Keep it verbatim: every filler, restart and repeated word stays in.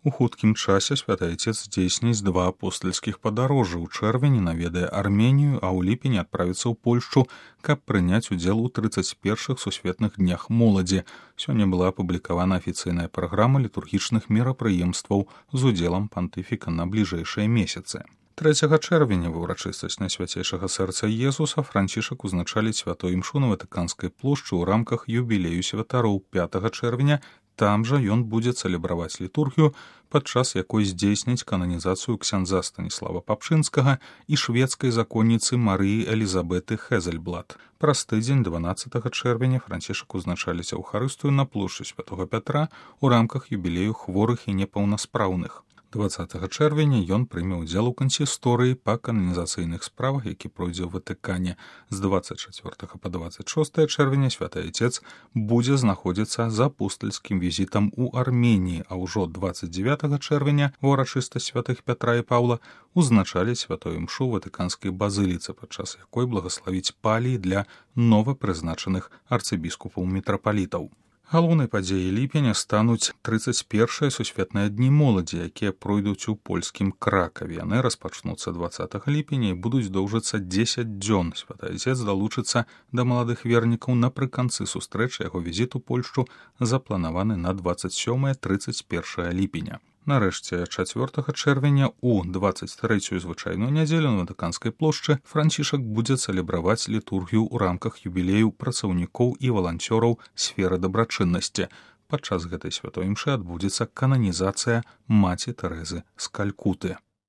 У хуткім часе святы Айцец здзейсніць два апостальскіх падарожжа. У чэрвені наведае Арменію, а ў ліпені адправіцца ў Польшчу, каб прыняць удзел у трыццаць першых сусветных днях моладзі. Сёння была апублікавана афіцыйная праграма літургічных мерапрыемстваў з удзелам пантыфіка на бліжэйшыя месяцы. трэцяга чэрвеня ва ўрачыстасць Найсвяцейшага сэрца Езуса Францішак узначаліць святой імшу на Ватыканскай плошчы ў рамках юбілею святароў. пятага чэрвеня там жа ён будзе цэлебраваць літургію, падчас якой здзейсніць кананізацыю ксяндза Станіслава Папшынскага і шведскай законніцы Марыі Элізабеты Хезельблат. Праз тыдзень дванаццатага чэрвеня Францішак узначаліць Еўхарыстыю на плошчы святога Пятра ў рамках юбілею хворых і непаўнаспраўных. дваццатага чэрвеня ён прыме ўдзел у кансісторыі па кананізацыйных справах, які пройдзе ў Ватыкане. З дваццаць чацвёртага па дваццаць шостае чэрвеня святы Айцец будзе знаходзіцца за апостальскім візітам у Арменіі, а ўжо дваццаць дзевятага чэрвеня ва ўрачыстасць святых Пятра і Паўла узначаліць святую імшу ў Ватыканскай базыліцы, падчас якой благаславіць паліі для новапрызначаных арцыбіскупаў-мітрапалітаў. Галоўнай падзеяй ліпеня стануць трыццаць першыя сусветныя дні моладзі, якія пройдуць у польскім Кракаве. Яны распачнуцца дваццатага ліпеня і будуць доўжыцца дзесяць дзён. Святы Айцец далучыцца да маладых вернікаў напрыканцы сустрэчы. Яго візіт у Польшчу запланаваны на дваццаць сёмае - трыццаць першае ліпеня. Нарэшце, чацвёртага чэрвеня у дваццаць трэцюю звычайную нядзелю на Ватыканскай плошчы Францішак будзе цэлебраваць літургію ў рамках юбілею працаўнікоў і валанцёраў сферы дабрачыннасці. Падчас гэтай святой імшы адбудзецца кананізацыя маці Тэрэзы з Калькуты.